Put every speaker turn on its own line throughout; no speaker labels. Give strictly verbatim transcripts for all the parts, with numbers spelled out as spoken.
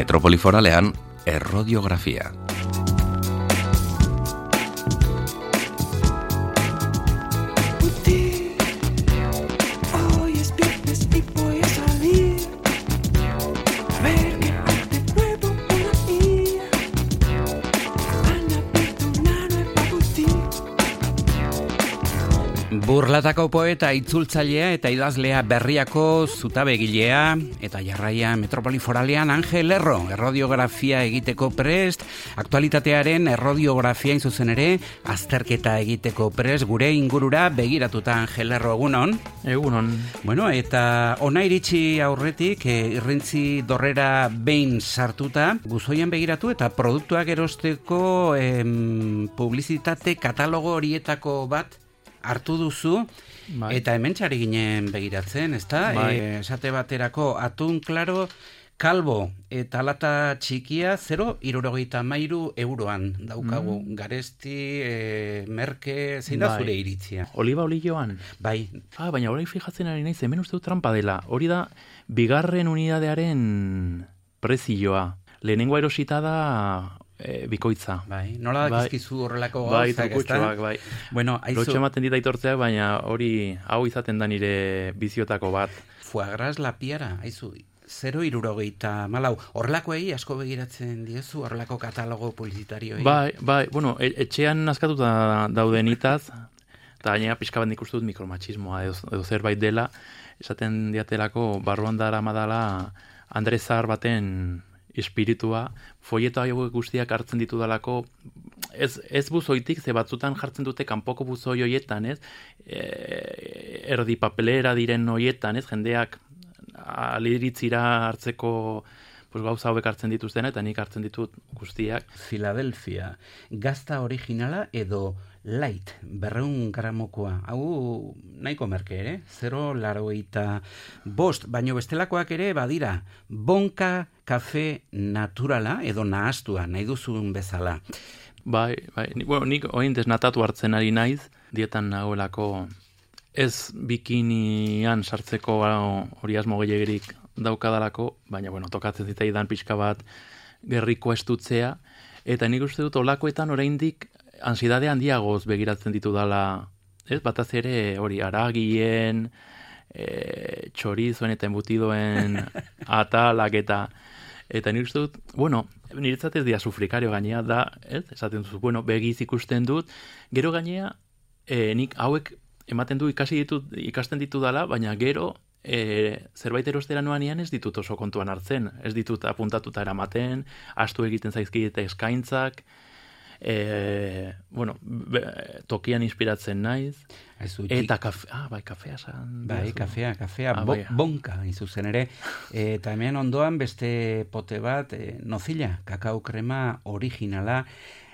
Metropoli Foralean errodiografia.
Burlatako poeta, itzultzailea eta idazlea Berriako zutabegilea eta jarraia Metropoli Foralean Angel Lerro, errodiografia egiteko prest, aktualitatearen errodiografia zuzen ere, azterketa egiteko prest, gure ingurura begiratuta Angel Lerro, egunon?
Egunon.
Bueno, eta ona iritsi aurretik, e, irrintzi dorrera behin sartuta, buzoian begiratu eta produktuak erosteko em, publizitate katalogo horietako bat hartu duzu, bai. Eta hemen txari ginen begiratzen, ezta?
Bai.
E, esate baterako atun klaro, kalbo eta lata txikia zero irurogeita mairu euroan daukagu. Mm. Garesti, e, merke, zein da
bai.
Zure iritzia?
Oliba olioan?
Bai.
Ah, baina hori fijatzen ari naiz, hemen uste dut trampa dela. Hori da, bigarren unidadearen prezioa. Lehenengo erosita da E, bikoitza.
Bai, nola dakizkizu horrelako
bai,
gauzak,
ezta? Bai, bai.
Bueno, aizu...
Lotxe ematen dit aitortzeak, baina hori hau izaten da nire biziotako bat.
Fuagras la piara, aizu, zero irurogeita malau. Horrelakoei asko begiratzen diezu, horrelako katalogo publizitarioei?
Bai, bai, bueno, e- etxean askatuta daudenitaz, eta gainera pixka bat nik uste dut mikromachismoa edo, edo zerbait dela, esaten diatelako barruan dara madala Andres Zahar baten espiritua, folieto hauek guztiak hartzen ditu dalako, ez, ez buzoitik, ze batzutan jartzen dute kanpoko buzoi hoietan, ez? E, erdi papelera diren hoietan, ez? Jendeak aliritzira hartzeko pues, gauza hauek hartzen dituzten, eta nik hartzen ditut guztiak.
Philadelphia, gazta originala edo light, berreun gramokoa. Hau nahiko merke ere, zero larogeita bost, baino bestelakoak ere badira, bonka kafe naturala edo nahastua, nahi duzun bezala.
Bai, bai, ni, bueno, nik oin desnatatu hartzen ari naiz, dietan nagoelako ez bikinian sartzeko hori asmo gehiagirik daukadalako, baina bueno, tokatzen zitzaidan pixka bat gerriko estutzea, eta nik uste dut olakoetan oraindik ansiedade handiagoz begiratzen ditu dala, ez? Bataz ere hori aragien, e, txorizoen eta embutidoen atalak eta eta nik uste dut, bueno, niretzat ez dia sufrikario gainea da, ez? Esaten duzu, bueno, begiz ikusten dut, gero gainea e, nik hauek ematen du ikasi ditut, ikasten ditu dala, baina gero e, zerbait erostera noanean ez ditut oso kontuan hartzen, ez ditut apuntatuta eramaten, astu egiten zaizkidete eskaintzak, E, bueno, be, tokian inspiratzen naiz.
Aizu,
eta kafe, ah, bai, kafea san.
Bai, kafea, kafea,
ah,
bo,
bai.
bonka, izuzen ere. E, eta hemen ondoan beste pote bat, e, nozilla, kakao krema originala,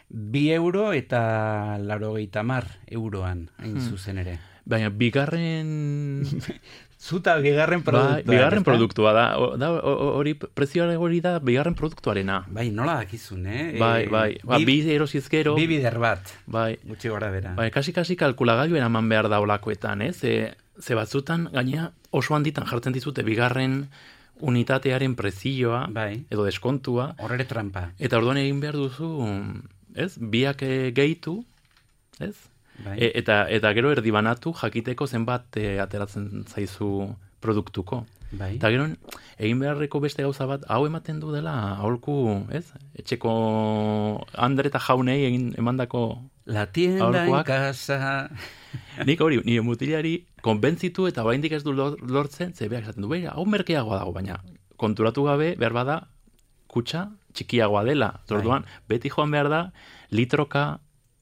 bi euro eta laurogeita hamar euroan, hain
hmm.
zuzen ere.
Baina, bigarren...
Zuta bigarren produktua.
Ba, bigarren produktua da. Da hori prezioa hori da bigarren produktuarena.
Bai, nola dakizun, eh?
Bai, bai. Ba, bi erosizkero.
Bi bider bat.
Bai.
Gutxi gora bera.
Bai, kasi-kasi kalkulagailu eraman behar da olakoetan, eh? Ze, ze batzutan, gainea oso handitan jartzen dizute bigarren unitatearen prezioa,
bai.
Edo deskontua.
Horrere trampa.
Eta orduan egin behar duzu, ez? Biak gehitu, ez?
Bai.
E, eta, eta gero erdibanatu jakiteko zenbat e, ateratzen zaizu produktuko.
Bai.
Eta gero egin beharreko beste gauza bat, hau ematen du dela, aholku, ez? Etxeko Andre eta jaunei egin emandako
la tienda
aholkuak.
En casa.
Nik hori, nire mutilari konbentzitu eta oraindik ez du lortzen, ze beak esaten du, beira, hau merkeagoa dago, baina konturatu gabe, behar bada, kutxa txikiagoa dela. Orduan, beti joan behar da, litroka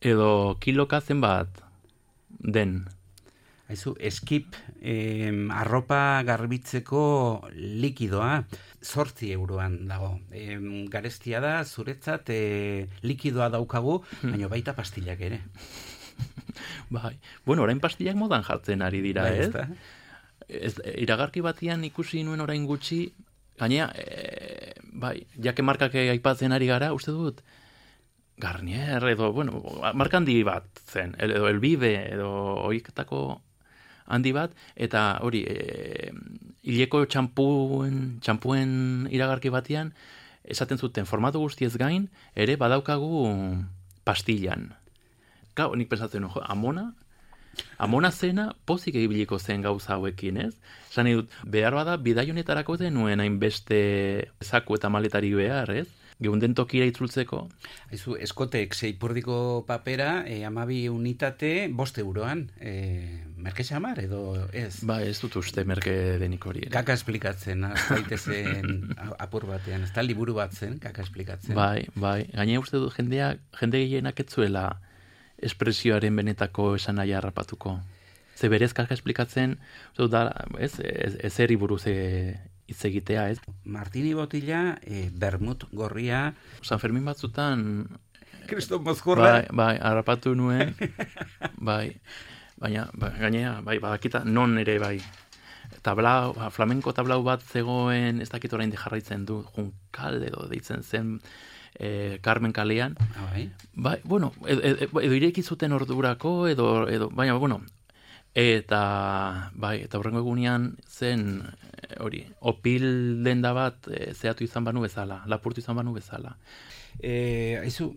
edo kiloka zenbat den.
Aizu, eskip, eh, arropa garbitzeko likidoa, zortzi euroan dago. Eh, garestia da, zuretzat, eh, likidoa daukagu, baina baita pastillak ere.
Bai, bueno, orain pastillak modan jartzen ari dira,
bai,
ez? Ez, iragarki batian ikusi nuen orain gutxi, gainea, e, bai, jake markak aipatzen ari gara, uste dut, Garnier, edo, bueno, marka handi bat zen, edo Elbibe, edo oiketako handi bat, eta hori, e, hileko txampuen, txampuen iragarki batian, esaten zuten formatu guztiez gain, ere badaukagu pastillan. Gau, nik pensatzen, jo, amona, amona zena pozik egibiliko zen gauza hauekin, ez? Esan dut, behar bada, bidai honetarako denuen hainbeste zaku eta maletari behar, ez? Geunden tokira itzultzeko.
Aizu, eskotek seipurdiko papera, e, amabi unitate, bost euroan. E, merke xamar edo ez?
Ba, ez dut uste merke denik hori.
Kaka esplikatzen, aztaitezen apur batean. Ez da liburu bat zen, kaka esplikatzen.
Bai, bai. Gainea uste dut jendeak, jende gehienak ez zuela espresioaren benetako esan nahi harrapatuko. Ze berez kaka esplikatzen, uste dut da, ez, ez, ez eri buruz hitz egitea, ez?
Martini botila, e, bermut gorria.
San Fermin batzutan...
Kriston mozkorra.
Bai, bai, harrapatu nuen. Bai, baina, ba, gainea, bai, badakita, non ere, bai. Tablau, flamenko tablau bat zegoen, ez dakit orain jarraitzen du, Junkal edo deitzen zen, e, Carmen kalean.
Ah, bai?
Bai, bueno, edo, edo, edo ireki zuten ordurako, edo, edo, baina, bueno, eta, bai, eta horrengo egunean zen, hori, opil denda bat e, zehatu izan banu bezala, lapurtu izan banu bezala.
E, aizu,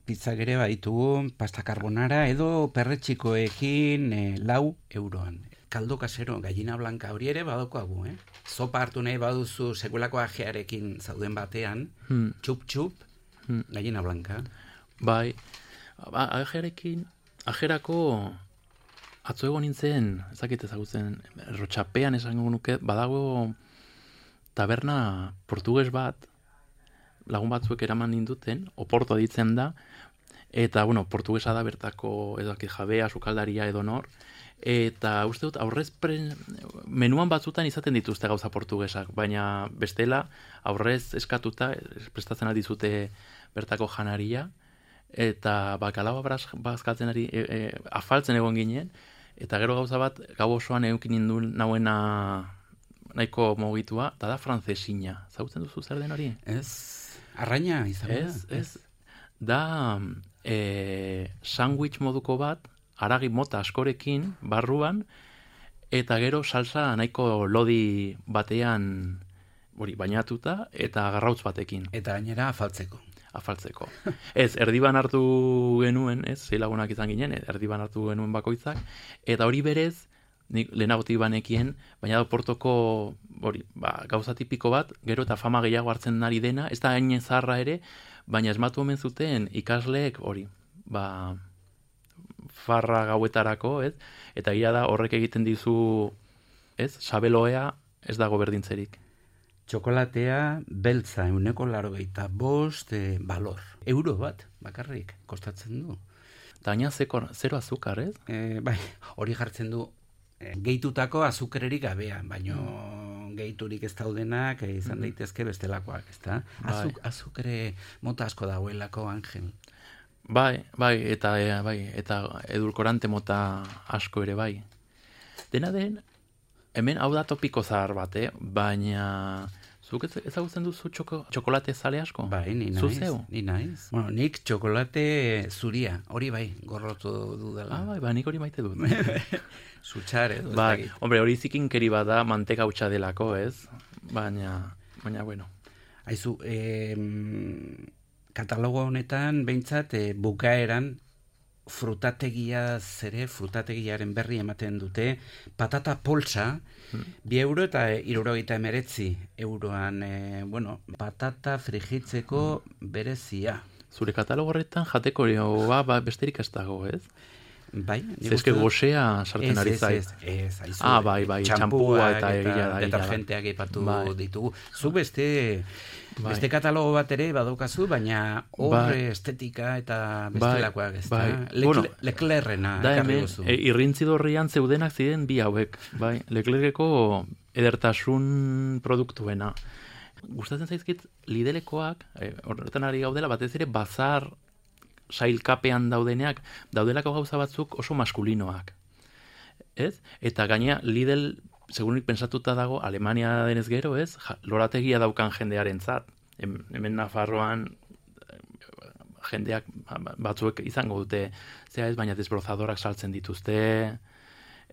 pizzak ere baditugu, pasta carbonara edo perretxikoekin e, lau euroan. Kaldo kasero, gallina blanca hori ere badokoagu, eh? Zopa hartu nahi baduzu sekulako ajearekin zauden batean,
Hmm.
txup-txup,
Hmm.
gallina blanca.
Bai, ba, ajearekin, ajerako atzo egon nintzen, ezakit ezagutzen, Rotxapean esango nuke, badago taberna portuges bat, lagun batzuek eraman ninduten, Oporto ditzen da, eta, bueno, portugesa da bertako, edo jabea, sukaldaria edo nor, eta uste dut, aurrez pre, menuan batzutan izaten dituzte gauza portugesak, baina bestela, aurrez eskatuta, prestatzen aldizute bertako janaria, eta bakalaua bazkatzen ari, e, e, afaltzen egon ginen, eta gero gauza bat, gau osoan eukin nindun nauena nahiko mogitua, eta da frantzesina. Zautzen duzu zer den hori?
Ez, arraina izan da.
Ez, ez. Da e, sandwich moduko bat, haragi mota askorekin, barruan, eta gero salsa nahiko lodi batean hori bainatuta, eta garrautz batekin.
Eta gainera afaltzeko.
Afaltzeko. Ez, erdiban hartu genuen, ez, sei lagunak izan ginen, erdiban hartu genuen bakoitzak, eta hori berez, nik lehenagotik banekien, baina da Portoko hori, ba, gauza tipiko bat, gero eta fama gehiago hartzen ari dena, ez da hain zaharra ere, baina esmatu omen zuten ikasleek hori, ba, farra gauetarako, ez, eta gira da horrek egiten dizu, ez, sabeloea ez dago berdintzerik.
Txokolatea beltza euneko laro gehieta bost e, balor. Euro bat, bakarrik, kostatzen du.
Eta gaina zero azukar, ez?
E, bai, hori jartzen du e, gehitutako azukererik gabea, baino gehiturik ez daudenak e, izan daitezke bestelakoak, ezta? Azuk, azukere mota asko dagoelako, Angel.
Bai, bai, eta e, bai, eta edulkorante mota asko ere bai. Dena den, hemen hau da topiko zahar bat, eh? Baina zuk ezagutzen duzu txoko, txokolate zale asko?
Bai, ni naiz,
Zuzeu?
ni naiz. Bueno, nik txokolate zuria, hori bai, gorrotu dudala.
Ah, bai, ba, nik hori maite dut.
Zutxare, edo.
Bai, hombre, hori zikinkeri bada manteka hutsa delako, ez? Baina, baina, bueno.
Aizu, eh, katalogo honetan, behintzat, eh, bukaeran, frutategia zere, frutategiaren berri ematen dute, patata poltsa, hmm. bi euro eta hirurogeita emeretzi euroan, e, bueno, patata frijitzeko hmm. berezia.
Zure katalogo horretan jateko ba, ba, besterik ez dago, ez?
Bai,
zezke gozea sartzen ari zait.
Ez, ez, ez, aizu.
Ah, bai, bai, txampua eta egia da.
Detergenteak ipatu bai. ditugu. Zu beste,
bai.
beste katalogo bat ere badaukazu, baina hor bai. estetika eta bestelakoak ez
bai.
da. Bai. Bueno, Leklerrena.
Da hemen, e, irrintzidorrian zeudenak ziren bi hauek. Bai. Leclerreko edertasun produktuena. Gustatzen zaizkit Lidelekoak, e, horretan ari gaudela, batez ere bazar sailkapean daudeneak, daudelako gauza batzuk oso maskulinoak. Ez? Eta gainea Lidl, segurunik pensatuta dago, Alemania denez gero, ez? Ja, lorategia daukan jendearen zat. Hemen Nafarroan jendeak batzuek izango dute, zera ez, baina desbrozadorak saltzen dituzte,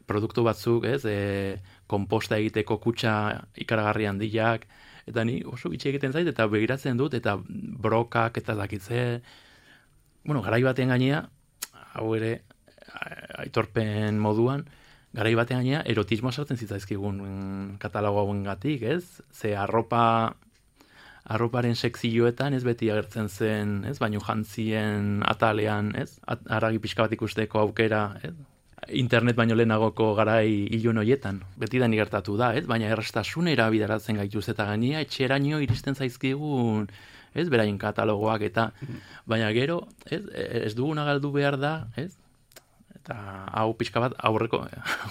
produktu batzuk, ez? E, komposta egiteko kutxa ikaragarri handiak, eta ni oso bitxi egiten zait, eta begiratzen dut, eta brokak, eta dakitze, bueno, garai batean gainea, hau ere, aitorpen moduan, garai batean gainea, erotismoa sartzen zitzaizkigun katalogo hauen gatik, ez? Ze arropa, arroparen sekzioetan ez beti agertzen zen, ez? Baino jantzien atalean, ez? Aragi pixka bat ikusteko aukera, ez? Internet baino lehenagoko garai ilun hoietan, beti da gertatu da, ez? Baina errastasunera bideratzen gaituz eta gainea etxeraino iristen zaizkigun, ez? Beraien katalogoak eta, baina gero, ez? Ez duguna galdu behar da, ez? Eta hau pixka bat aurreko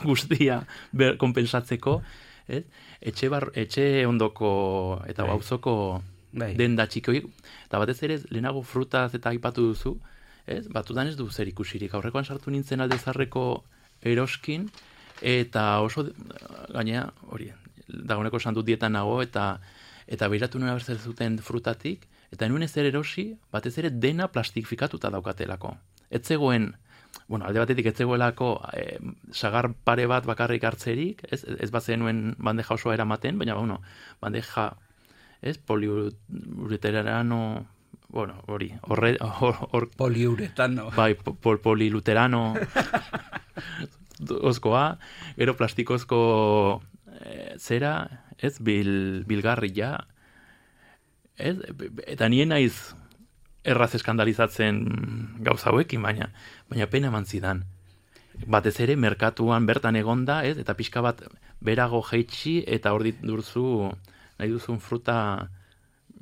guztia ber, konpensatzeko, ez? Etxe, bar, etxe ondoko eta gauzoko denda txiki, eta batez ere lehenago frutaz eta aipatu duzu, ez? Batutan ez du zer ikusirik. Aurrekoan sartu nintzen alde zarreko eroskin, eta oso, gainea, hori, dagoeneko esan dut dietan nago, eta eta behiratu nuen abertzen zuten frutatik, eta nuen ezer erosi, batez ere dena plastifikatuta daukatelako. Ez zegoen, bueno, alde batetik ez zegoelako eh, sagar pare bat bakarrik hartzerik, ez, ez bat zenuen bandeja osoa eramaten, baina, bueno, bandeja, ez, poliureterano, bueno, hori, horre, hor, hor,
poliuretano.
Bai, pol, poliluterano, oskoa, gero plastikozko e, zera, ez, bil, bilgarria, ez, eta nien naiz erraz eskandalizatzen gauza hauekin, baina, baina pena eman zidan. Batez ere, merkatuan bertan egonda, ez, eta pixka bat berago jeitsi, eta hor ditduzu, nahi duzun fruta,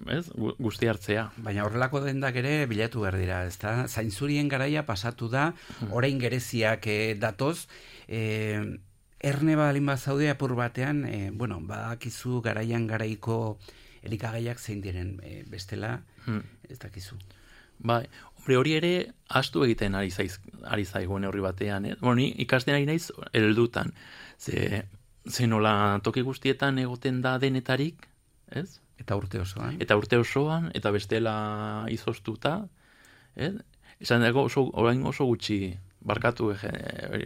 ez, guzti hartzea.
Baina horrelako dendak ere bilatu behar dira, ezta? Zainzurien garaia pasatu da, orain gereziak eh, datoz, eh, erne balin bat zaude apur batean, eh, bueno, badakizu garaian garaiko elikagaiak zein diren, eh, bestela, hmm. ez dakizu.
Bai, hombre, hori ere astu egiten ari zaiz, ari zaigun horri batean, eh? Bueno, ni ikasten ari naiz heldutan. Ze, ze nola toki guztietan egoten da denetarik, ez?
Eta urte osoan.
Eta urte osoan, eta bestela izoztuta, ez? Esan dago oso, orain oso gutxi barkatu ege,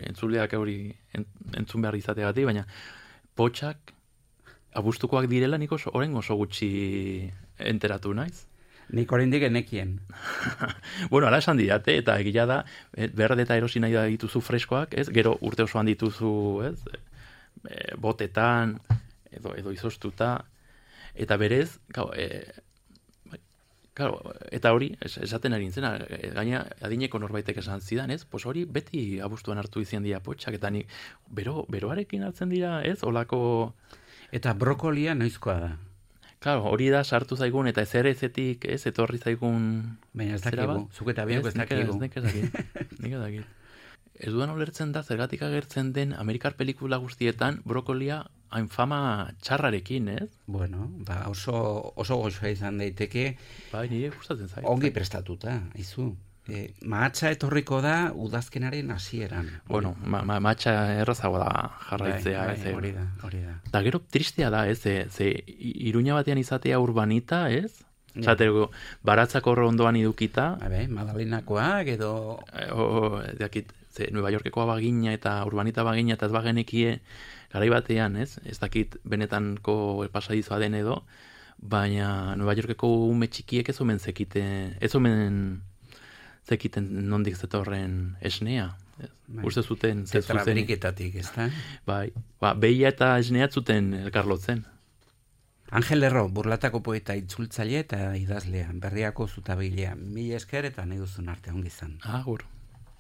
entzuleak hori entzun behar izateagatik, baina potxak abustukoak direla nik oso, orain oso gutxi enteratu naiz.
Nik oraindik genekien.
Bueno, ala esan didate, eta egia da, berde eta erosi nahi da dituzu freskoak, ez? Gero urte osoan dituzu, ez? E, botetan, edo, edo izoztuta, eta berez, gau, e, claro, eta hori, esaten ari nintzen, gaina adineko norbaitek esan zidan, ez? Pues hori beti abustuan hartu izan dira potxak, eta ni bero, beroarekin hartzen dira, ez? Olako...
Eta brokolia noizkoa da?
Claro, hori da sartu zaigun, eta ezer ezetik, ez, etorri zaigun...
Baina ez dakigu, zuk eta biok ez dakigu.
Nik ez dakit, nik ez dakit. Ez dudan ulertzen da, zergatik agertzen den Amerikar pelikula guztietan brokolia hain fama txarrarekin, ez?
Bueno, ba, oso, oso gozoa izan daiteke.
Bai, nire gustatzen zait.
Ongi prestatuta, aizu. E, mahatsa etorriko da udazkenaren hasieran.
Bueno, ma, ma, mahatsa errazago da jarraitzea.
Bai, bai, hori da, hori da.
Da gero tristea da, ez? Ze, ze Iruña batean izatea urbanita, ez? Ja. Zatero, baratzako ondoan idukita.
Habe, Madalenakoak edo...
E, o, dakit, ze, Nueva Yorkekoa bagina eta urbanita bagina eta ez bagenekie garai batean, ez? Ez dakit benetanko pasadizoa den edo, baina Nueva Yorkeko ume txikiek ez omen zekite, ez omen zekiten nondik zetorren esnea. Bai. Uste zuten...
Tetrabriketatik, ez da?
Bai, ba, behia eta esnea zuten elkarlotzen.
Angel Lerro, Burlatako poeta itzultzaile eta idazlea, Berriako zutabeilea. Mila esker eta nahi duzun arte ongi izan.
Agur.